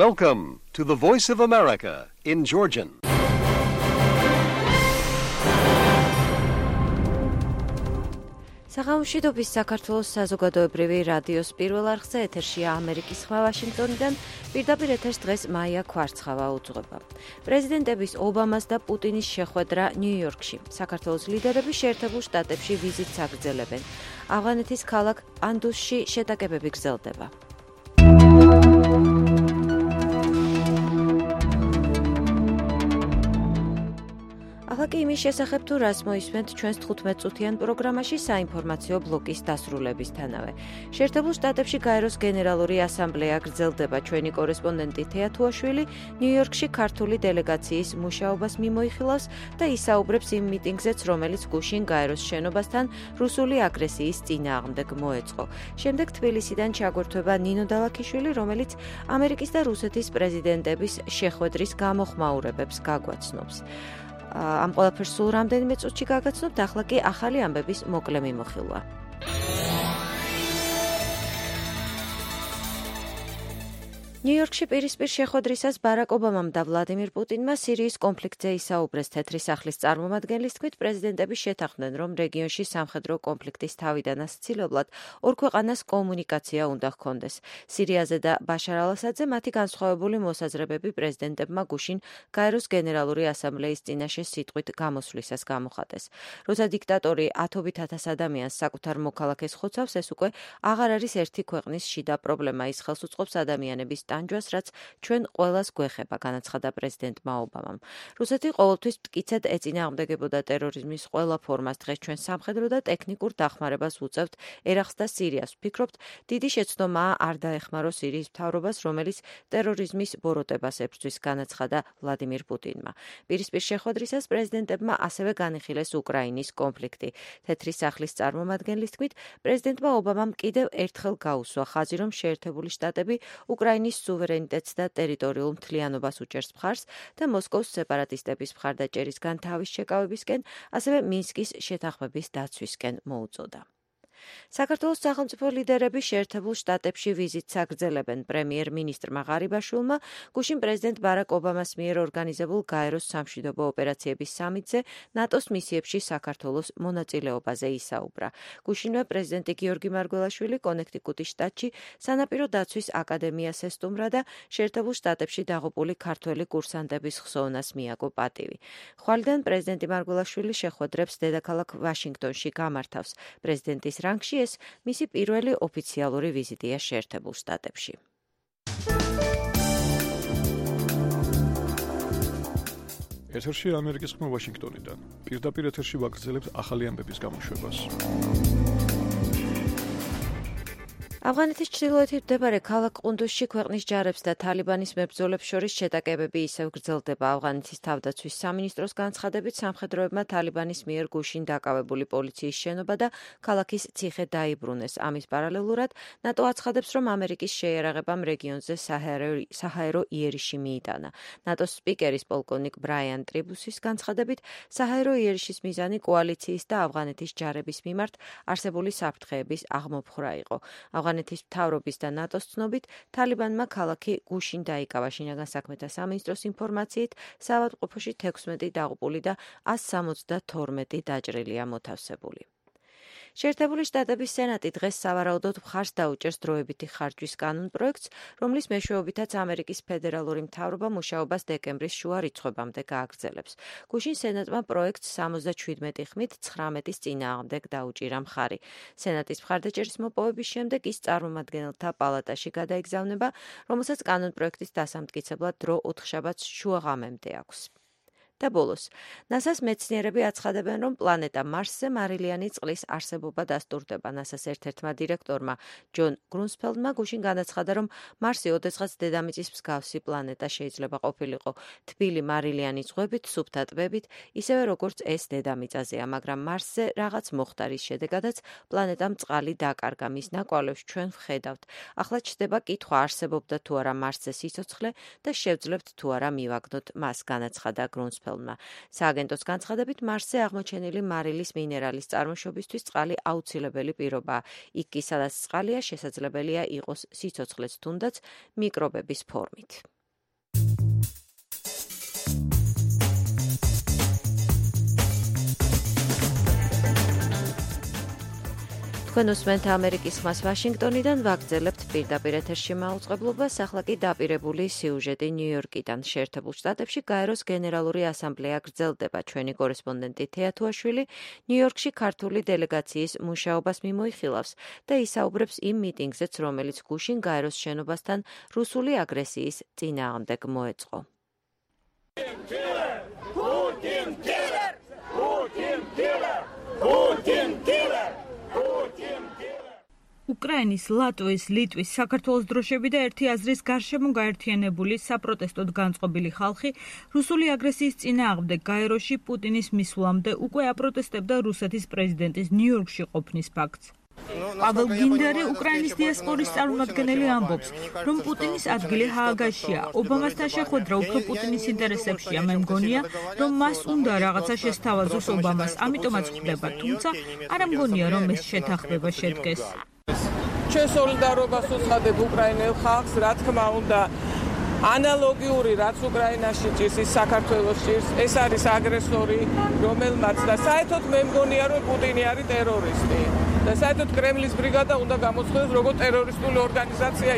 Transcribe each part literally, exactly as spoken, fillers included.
Welcome to the Voice of America in Georgian. საღამოშვიდობის საქართველოს საზოგადოებრივი რადიოს პირველ არხზე ეთერშია ამერიკის ხმა ვაშინგტონიდან. პირდაპირ ეთერს დღეს მაია ქვარცხავა უძღვება. პრეზიდენტების ობამას და პუტინის შეხვედრა ნიუ-იორკში. საქართველოს ლიდერები შეერთებულ შტატებში ვიზიტს აგრძელებენ. ავღანეთის ქალაქ პანდუსში შეტაკებები გრძელდება. ახლა იმის შესახებ თუ რას მოისმენთ ჩვენს თხუთმეტ წუთიან პროგრამაში საინფორმაციო ბლოკის დასრულებისთანავე. შეერთებულ შტატებში გაეროს გენერალური ასამბლეა გრძელდება. ჩვენი კორესპონდენტი თეა თუაშვილი ნიუ-იორკში ქართული დელეგაციის მუშაობას მიმოიხილავს და ისაუბრებს იმ მიტინგზეც, რომელიც გუშინ გაეროს შენობასთან რუსული აგრესიის წინააღმდეგ მოეწყო. შემდეგ თბილისიდან ჩაგვერთვება ნინო დალაქიშვილი, რომელიც ამერიკის და რუსეთის პრეზიდენტების შეხვედრის გამოხმაურებებს გაგვაცნობს. ამ ყველაფერს სულ რამდენიმე წუთში გაგაცნობთ, ახლა კი ახალი ამბების მოკლე მიმოხილვა. ნიუ-იორკში პირისპირ შეხვედრისას ბარაკ ობამამ და ვლადიმირ პუტინმა სირიის კონფლიქტზე ისაუბრეს. თეთრი სახლის წარმომადგენლის თქმით, პრეზიდენტები შეთანხმდნენ, რომ რეგიონში სამხედრო კონფლიქტის თავიდან ასცილებლად ორ ქვეყანას კომუნიკაცია უნდა ჰქონდეს. სირიაზე და ბაშარ ალ-ასადზე მათი განსხვავებული მოსაზრებები პრეზიდენტებმა გუშინ გაეროს გენერალური ასამბლეის წინაშე სიტყვით გამოსვლისას გამოხატეს. როცა დიქტატორი ათობით ათას ადამიანს საკუთარ მოქალაქეს ხოცავს, ეს უკვე აღარ არის ერთი ქვეყნის შიდა პრობლემა, ის ხელს უწყობს ადამიანების ტანჯვას, რაც ჩვენ ყველას გვეხება, განაცხადა პრეზიდენტმა ობამამ. რუსეთი ყოველთვის მტკიცედ ეწინააღმდეგებოდა ტერორიზმის ყველა ფორმას. დღეს ჩვენ სამხედრო და ტექნიკურ დახმარებას ვუწევთ ერაყს და სირიას. ვფიქრობთ, დიდი შეცდომაა არ დაეხმარო სირიის მთავრობას, რომელიც ტერორიზმის ბოროტებას ებრძვის, განაცხადა ვლადიმირ პუტინმა. პირისპირ შეხვედრისას პრეზიდენტებმა ასევე განიხილეს უკრაინის კონფლიქტი. თეთრი სახლის წარმომადგენლის თქმით, პრეზიდენტმა ობამამ კიდევ ერთხელ გაუსვა ხაზი, რომ შეერთებული შტატები უკრაინის სუვერენიტეტს და ტერიტორიულ მთლიანობას უჭერს მხარს და მოსკოვის სეპარატისტების მხარდაჭერისგან თავის შეკავებისკენ, ასევე მინსკის შეთანხმების დაცვისკენ მოუწოდა. საქართველოს სახელმწიფო ლიდერები შეერთებულ შტატებში ვიზიტს აგრძელებენ. პრემიერ-მინისტრმა ღარიბაშვილმა გუშინ პრეზიდენტ ბარაკ ობამას მიერ ორგანიზებულ გაეროს სამშვიდობო ოპერაციების სამიტზე ნატოს მისიებში საქართველოს მონაწილეობაზე ისაუბრა. გუშინვე პრეზიდენტი გიორგი მარგველაშვილი კონექტიკუტის შტატში სანაპირო დაცვის აკადემიას ესტუმრა და შეერთებულ შტატებში დაღუპული ქართველი კურსანტების ხსოვნას მიაგო პატივი. ხვალიდან პრეზიდენტი მარგველაშვილი შეხვედრებს დედაქალაქ ვაშინგტონში გამართავს. პრეზიდენტის რანგში ეს მისი პირველი ოფიციალური ვიზიტია შეერთებულ შტატებში. ეთერში ამერიკის ხმა ვაშინგტონიდან. პირდაპირ ეთერში ვაგრძელებთ ახალი ამბების გამოშვებას. ავღანეთის ჩრდილოეთით მდებარე ქალაქ ყუნდუსში ქვეყნის ჯარებს და თალიბანის მებრძოლებს შორის შეტაკებები ისევ გრძელდება. ავღანეთის თავდაცვის სამინისტროს განცხადებით, სამხედროებმა თალიბანის მიერ გუშინ დაკავებული პოლიციის შენობა და ქალაქის ციხე დაიბრუნეს. ამის პარალელურად ნატო აცხადებს, რომ ამერიკის შეიარაღებამ რეგიონზე საჰაერო იერიში მიიტანა. ნატოს სპიკერის პოლკოვნიკ ბრაიან ტრიბუსის განცხადებით, საჰაერო იერიშის მიზანი კოალიციის და ავღანეთის ჯარების მიმართ არსებული საფრთხეების აღმოფხვრა იყო. ავღანეთის მთავრობის და ნატოს ცნობით, თალიბანმა ქალაქი გუშინ დაიკავა. შინაგან საქმეთა სამინისტროს ინფორმაციით, საავადმყოფოში თექვსმეტი დაღუპული და ასი სამოცდათორმეტი დაჭრილია მოთავსებული. შეერთებული შტატების სენატი დღეს სავარაუდოდ მხარს დაუჭერს დროებითი ხარჯვის კანონპროექტს, რომლის მეშვეობითაც ამერიკის ფედერალური მთავრობა მუშაობას დეკემბრის შუა რიცხვებამდე გააგრძელებს. გუშინ სენატმა პროექტს სამოცდაშვიდმეტი ხმით ცხრამეტის წინააღმდეგ დაუჭირა მხარი. სენატის მხარდაჭერის მოპოვების შემდეგ ის წარმომადგენელთა პალატაში გადაიგზავნება, რომელსაც კანონპროექტის დასამტკიცებლად დრო ოთხშაბათს შუაღამემდე აქვს. და ბოლოს, ნასას მეცნიერები აცხადებენ, რომ პლანეტა მარსზე მარილიანი წყლის არსებობა დასტურდება. ნასას ერთ-ერთმა დირექტორმა ჯონ გრუნსფელდმა გუშინ განაცხადა, რომ მარსი ოდესღაც დედამიწის მსგავსი პლანეტა შეიძლება ყოფილიყო თბილი მარილიანი ზღვებით, სუფთა ტბებით, ისევე როგორც ეს დედამიწაზეა, მაგრამ მარსზე რაღაც მოხდა, რის შედეგადაც პლანეტამ წყალი დაკარგა. მის ნაკვალევს ჩვენ ვხედავთ. ახლა ჩდება კითხვა, არსებობდა თუ არა მარსზე სიცოცხლე და შევძლებთ თუ არა მივაგნოთ მას, განაცხადა გრუნსფელდმა. სასწრაფველმა. სააგენტოს განცხადებით, მარსზე აღმოჩენილი მარილის მინერალის წარმოშობისთვის წყალი აუცილებელი პირობაა. იქ კი, სადაც წყალია, შესაძლებელია იყოს სიცოცხლეც, თუნდაც მიკრობების ფორმით. თქვენ უსმენთ ამერიკის ხმას ვაშინგტონიდან, ვაგრძელებთ პირდაპირ ეთერში მაუწყებლობას, ახლა კი დაპირებული სიუჟეტი ნიუ-იორკიდან. შეერთებულ შტატებში გაეროს გენერალური ასამბლეა გრძელდება. ჩვენი კორესპონდენტი თეა თუაშვილი ნიუ-იორკში ქართული დელეგაციის მუშაობას მიმოიხილავს და ისაუბრებს იმ მიტინგზეც, რომელიც გუშინ გაეროს შენობასთან რუსული აგრესიის წინააღმდეგ მოეწყო. უკრაინის, ლატვიის, ლიტვის, საქართველოს დროშები და ერთი აზრის გარშემო გაერთიანებული საპროტესტოდ განწყობილი ხალხი რუსული აგრესიის წინააღმდეგ გაეროში პუტინის მისვლამდე უკვე აპროტესტებდა რუსეთის პრეზიდენტის ნიუ-იორკში ყოფნის ფაქტს. პაվել გინდერი, უკრაინის დიასპორის წარმომადგენელი, ამბობს, რომ პუტინის ადგილი ჰააგაშია. ობამასთან შეხვედრა უფრო პუტინის ინტერესებშია. მე მგონია, რომ მას უნდა რაღაცა შესთავაზოს ობამას, ამიტომაც ხვდება, თუმცა არ მგონია, რომ ეს შეთანხმება შედგეს. ჩვენ სოლიდარობას უცხადებ უკრაინელ ხალხს, რა თქმა უნდა, ანალოგიური რაც უკრაინაში ჭირს, ის საქართველოს ჭირს. ეს არის აგრესორი, რომელმაც და საერთოდ მე მგონია, რომ პუტინი არის ტერორისტი. და საერთოდ კრემლის ბრიგადა უნდა გამოცხადოს როგორც ტერორისტული ორგანიზაცია.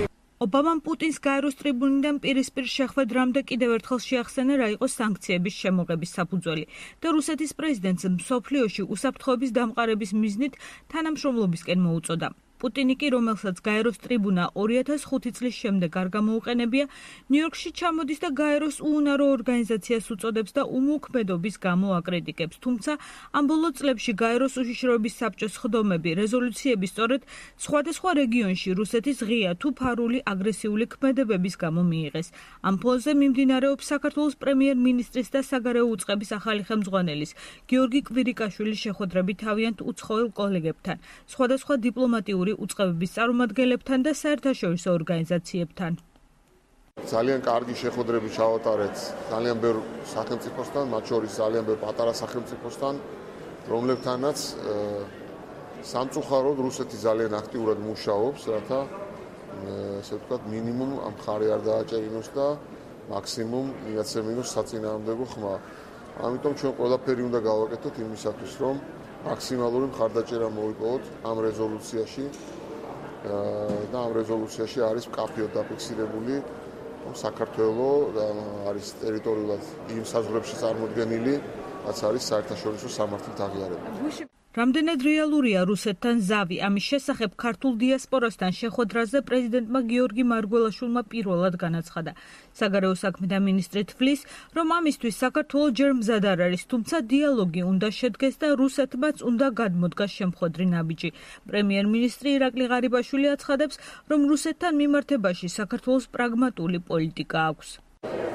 ობამამ პუტინს გაეროს ტრიბუნიდან პირისპირ შეხვედრამდე კიდევ ერთხელ შეახსენა, რა იყო სანქციების შემოღების საფუძველი და რუსეთის პრეზიდენტს მსოფლიოში უსაფრთხოების დამყარების მიზნით თანამშრომლობისკენ მოუწოდა. პუტინი კი, რომელსაც გაეროს ტრიბუნა ორი ათას ხუთი წლის შემდეგ არ გამოუყენებია, ნიუ-იორკში ჩამოდის და გაეროს უუნარო ორგანიზაციას უწოდებს და უმოქმედობის გამო აკრიტიკებს. თუმცა ამ ბოლო წლებში გაეროს უშიშროების საბჭოს სხდომები, რეზოლუციები სწორედ სხვადასხვა რეგიონში რუსეთის ღია თუ ფარული აგრესიული ქმედებების გამო მიიღეს. ამ ფონზე მიმდინარეობს საქართველოს პრემიერ-მინისტრის და საგარეო უწყების ახალი ხელმძღვანელის გიორგი კვირიკაშვილის შეხვედრები თავიანთ უცხოელ კოლეგებთან, სხვადასხვა დიპლომატიური უწყებების წარმომადგენლებთან და საერთაშორისო ორგანიზაციებთან. ძალიან კარგი შეხვედრები ჩავატარეთ ძალიან ბევრ სახელმწიფოსთან, მათ შორის ძალიან ბევრ პატარა სახელმწიფოსთან, რომლებთანაც სამწუხაროდ რუსეთი ძალიან აქტიურად მუშაობს, რათა ესე ვთქვათ, მინიმუმ ამ მხარე არ დააჭერინოს და მაქსიმუმ მიაცემინოს საწინააღმდეგო ხმა. ამიტომ ჩვენ ყველაფერი უნდა გავაკეთოთ იმისათვის, რომ მაქსიმალური მხარდაჭერა მოვიპოვოთ ამ რეზოლუციაში და ამ რეზოლუციაში არის მკაფიოდ დაფიქსირებული, რომ საქართველოს არის ტერიტორიულად იმ საზღვრებში წარმოდგენილი, რაც არის საერთაშორისო სამართლით აღიარებული. რამდენად რეალურია რუსეთთან ზავი? ამის შესახებ ქართულ დიასპორასთან შეხვედრაზე პრეზიდენტმა გიორგი მარგველაშვილმა პირველად განაცხადა. საგარეო საქმეთა მინისტრი თვლის, რომ ამისთვის საქართველო ჯერ მზად არ არის, თუმცა დიალოგი უნდა შედგეს და რუსეთმაც უნდა გადმოდგას შემხვედრი ნაბიჯი. პრემიერ-მინისტრი ირაკლი ღარიბაშვილი აცხადებს, რომ რუსეთთან მიმართებაში საქართველოს პრაგმატული პოლიტიკა აქვს.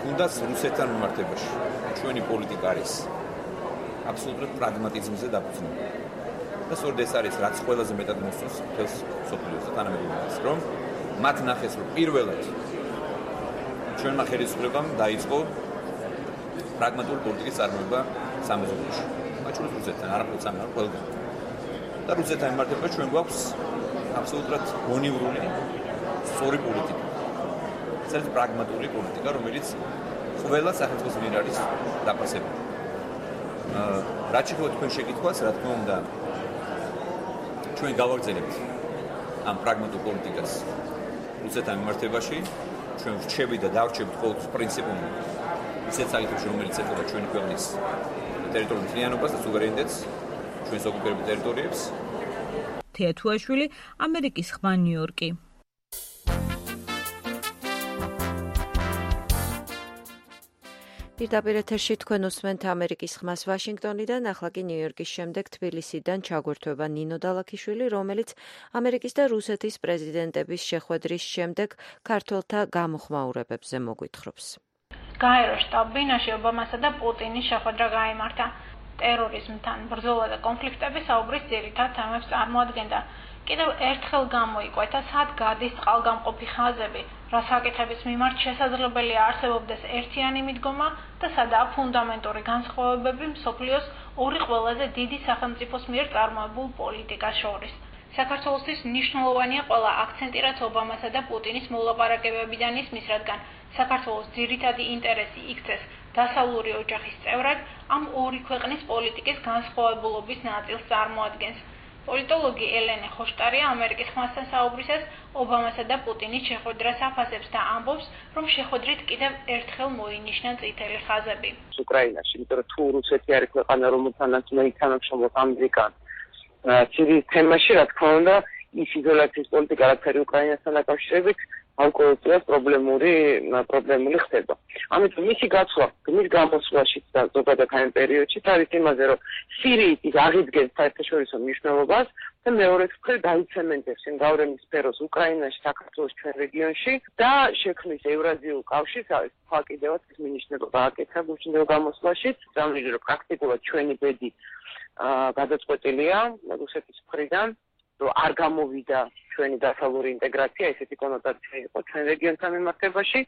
თუნდაც რუსეთთან მიმართებაში ჩვენი პოლიტიკა არის აბსოლუტურად პრაგმატიზმზე დაფუძნებული. და სწორედ ეს არის, რაც ყველაზე მეტად მოსწონს მთელს მსოფლიოს და თანამედროვეობას, რომ მათ ნახეს, რომ პირველად ჩვენმა ხელისუფლებამ დაიწყო პრაგმატული პოლიტიკის წარმოება სამეზობლოში. მათ შორის რუსეთთან, არაფერს ამარ ყველგან. და რუსეთთან მიმართებაში ჩვენ გვაქვს აბსოლუტურად გონივრული სწორი პოლიტიკა. ეს არის პრაგმატული პოლიტიკა, რომელიც ყველა სახელმწიფოს მიერ არის დაფასებული. რაც შეეხება თქვენ შეკითხვას, რა თქმა უნდა, ჩვენ გავაგრძელებთ ამ პრაგმატულ პოლიტიკას რუსეთთან მიმართებაში. ჩვენ ვრჩებით და დავრჩებით ყოველთვის პრინციპული ისეთ საკითხებში, რომელიც ეხება ჩვენი ქვეყნის ტერიტორიულ მთლიანობას და სუვერენიტეტს, ჩვენს ოკუპირებულ ტერიტორიებს. თეა თუაშვილი, ამერიკის ხმა, ნიუ-იორკი. პირდაპირ ეთერში თქვენ უსმენთ ამერიკის ხმას ვაშინგტონიდან, ახლა კი ნიუ-იორკის შემდეგ თბილისიდან ჩაგვერთვება ნინო დალაქიშვილი, რომელიც ამერიკის და რუსეთის პრეზიდენტების შეხვედრის შემდეგ ქართველთა გამოხმაურებებზე მოგვითხრობს. გაეროს შტაბ-ბინაში ობამასა და პუტინის შეხვედრა გაიმართა. ტერორიზმთან ბრძოლა და კონფლიქტების საუბრის ძირითად თემებს წარმოადგენდა. კიდევ ერთხელ გამოიკვეთა, სად გადის წყალგამყოფი ხაზები, რა საკითხების მიმართ შესაძლებელია არსებობდეს ერთიანი მიდგომა და სადაა ფუნდამენტური განსხვავებები მსოფლიოს ორი ყველაზე დიდი სახელმწიფოს მიერ წარმოებულ პოლიტიკას შორის. საქართველოსთვის მნიშვნელოვანია ყველა აქცენტი, რაც ობამასა და პუტინის მოლაპარაკებებიდან ისმის, რადგან საქართველოს ძირითადი ინტერესი იქცეს დასავლური ოჯახის წევრად, ამ ორი ქვეყნის პოლიტიკის განსხვავებულობის ნაწილს წარმოადგენს. პოლიტოლოგი ელენე ხოშტარია ამერიკის ხმასთან საუბრისას ობამასა და პუტინის შეხვედრას აფასებს და ამბობს, რომ შეხვედრით კიდევ ერთხელ მოინიშნა წითელი ხაზები. უკრაინაში, იმიტომ რომ თუ რუსეთი არის ქვეყანა, რომელთანაც მე თანამშრომლობ ამერიკა სირიის თემაში, რა თქმა უნდა, ის იზოლაციის პოლიტიკა, რაც არის უკრაინასთან დაკავშირებით, ალკოჰოლს პრობლემური პრობლემული ხდება. ამიტომ მისი გაცვლა, მის გამოსვლაში და ზოგადად ამ პერიოდში არის იმაზე, რომ სირიის ის აღიდგენს საერთაშორისო მნიშვნელობას და მეორე მხრივ დაიცემენტებს იმ გავლენის სფეროს უკრაინაში, საქართველოს ჩვენ რეგიონში და შექმნის ევრაზიულ კავშირს, არის სხვა კიდევაც ის მინიშნება გააკეთა გუშინდელ გამოსვლაში, რომელიც რომ პრაქტიკულად ჩვენი ბედი გადაწყვეტილია რუსეთის მხრიდან, რომ არ გამოვიდა ჩვენი დასავლური ინტეგრაცია, ესეთი კონოტაცია იყო ჩვენ რეგიონთან მიმართებაში,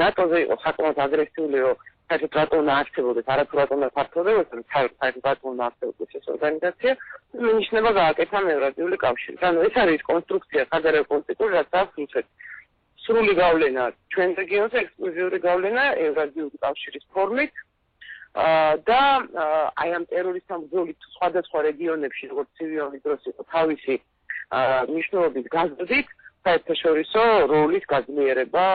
ნატოზე იყო საკმაოდ აგრესიული, რომ საერთოდ რატომ უნდა არსებობდეს, არათუ რატომ უნდა ფართოვდებოდეს, საერთოდ რატომ უნდა არსებობდეს ეს ორგანიზაცია, მინიშნება გააკეთა ევრაზიული კავშირი. ანუ ეს არის კონსტრუქცია, სადარაო პოლიტიკური, რაც აქვს რუსეთს. სრული გავლენა ჩვენ რეგიონზე, ექსკლუზიური გავლენა ევრაზიული კავშირის ფორმით. და აი ამ ტერორისტთან ბრძოლით სხვადასხვა რეგიონებში, როგორც ცივი დროს იყო თავისი მნიშვნელობის გაზრდით, საერთაშორისო როლის გაძლიერება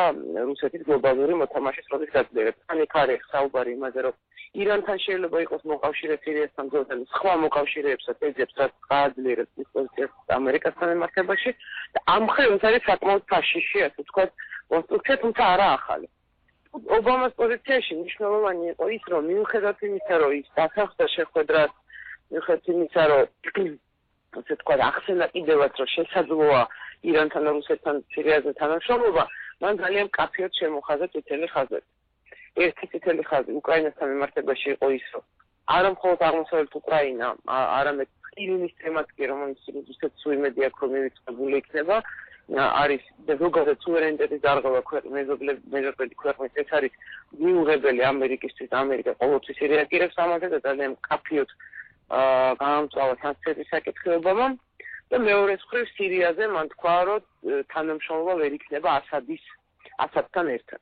რუსეთის გლობალური მოთამაშის როლის გაძლიერება. თან იქ არის საუბარი იმაზე, რომ ირანთან შეიძლება იყოს მოკავშირე სირიასთან ბრძოლთან, სხვა მოკავშირეებსაც ეძებს, რაც გააძლიერებს ის პოზიციას ამერიკასთან მიმართებაში და ამ მხრივ ეს არის საკმაოდ ფაშიში, ასე ვთქვათ, კონსტრუქცია, თუმცა არა ახალი. ობამას პოზიციაში მნიშვნელოვანი იყო ის, რომ მიუხედავად იმისა, რომ ის დასახდა შეხვედრას, მიუხედავად იმისა, რომ ასე ვთქვათ, ახსენა კიდევაც, რომ შესაძლოა ირანთან და რუსეთთან სირიაზე თანამშრომლობა, მან ძალიან მკაფიოდ შემოხაზა წითელი ხაზები. ერთი წითელი ხაზი უკრაინასთან მიმართებაში იყო ის, რომ არა მხოლოდ აღმოსავლეთ უკრაინა, არამედ ყირიმის თემაც კი, რომელიც რუსეთს უიმედი აქვს, რომ მივიწყებული იქნება, არის ზოგადად სუვერენიტეტის დარღვევა მეზობელი ქვეყნის, ეს არის მიუღებელი ამერიკისთვის, ამერიკა ყოველთვის რეაგირებს ამაზე და ძალიან მკაფიოდ გაამწვავა სანქციების საკითხებმა და მეორე მხრივ სირიაზე მან თქვა, რომ თანამშრომლობა ვერ იქნება ასადის ასადთან ერთად.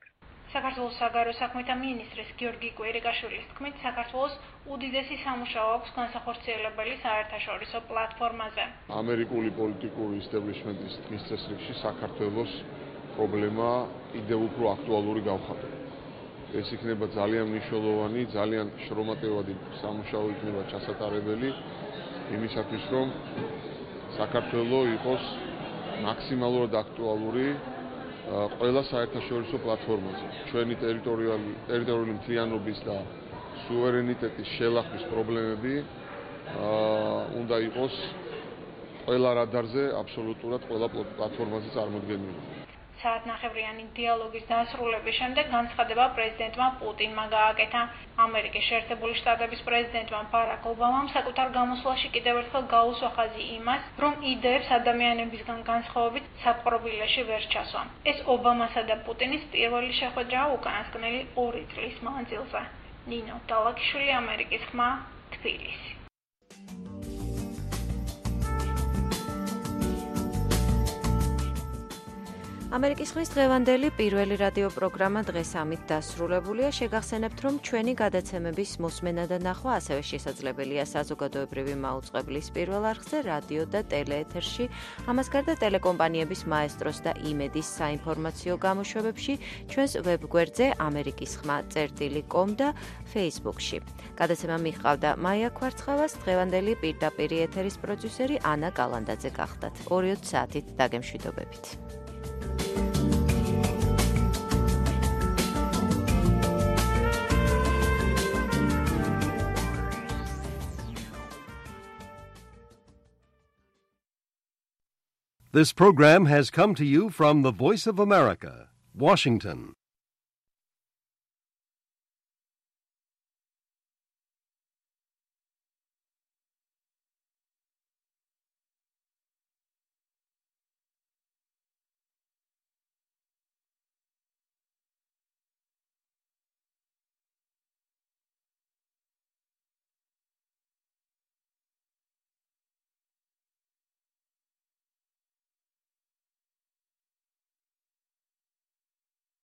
საქართველოს საგარეო საქმეთა მინისტრის გიორგი კვირიკაშვილის თქმით, საქართველოს უდიდესი სამუშაო აქვს განსახორციელებელი საერთაშორისო პლატფორმაზე. ამერიკული პოლიტიკური ისტაბლიშმენტის დღის წესრიგში საქართველოს პრობლემა კიდევ უფრო აქტუალური გავხატება. ეს იქნება ძალიან მნიშვნელოვანი, ძალიან შრომატევადი სამუშაო იქნება ჩასატარებელი იმისათვის, რომ საქართველოს იყოს მაქსიმალურად აქტუალური ყველა საერთაშორისო პლატფორმაზე. ჩვენი ტერიტორიული ტერიტორიული მთლიანობის და სუვერენიტეტის შელახვის პრობლემები უნდა იყოს ყველა რადარზე, აბსოლუტურად ყველა პლატფორმაზე წარმოდგენილი. საათნახევრიანი დიალოგის დასრულების შემდეგ განცხადება პრეზიდენტმა პუტინმა გააკეთა. ამერიკის შეერთებული შტატების პრეზიდენტმა ბარაკ ობამამ საკუთარ გამოსვლაში კიდევ ერთხელ გაუსვა ხაზი იმას, რომ იდეებს ადამიანებისგან განსხვავებით საპყრობილეში ვერ ჩასვა. ეს ობამასა და პუტინის პირველი შეხვედრაა უკანასკნელი ორი წლის მანძილზე. ნინო დალაკიშვილი, ამერიკის ხმა, თბილისი. ამერიკის ხმის დღევანდელი პირველი რადიო პროგრამა დღეს ამით დასრულებულია. შეგახსენებთ, რომ ჩვენი გადაცემების მოსმენა და ნახვა ასევე შესაძლებელია საზოგადოებრივი მაუწყებლის პირველ არხზე, რადიო და ტელეეთერში, ამას გარდა ტელეკომპანიების მაესტროს და იმედის საინფორმაციო გამოშვებებში, ჩვენს ვებგვერდზე ამერიკის ხმა წერტილი კომ და Facebook-ში. გადაცემა მიჰყავდა მაია ქვარცხავას, დღევანდელი პირდაპირ ეთერის პროდიუსერი ანა კალანდაძე გახდათ. ორი საათით დაგემშვიდობებით. This program has come to you from the Voice of America, Washington.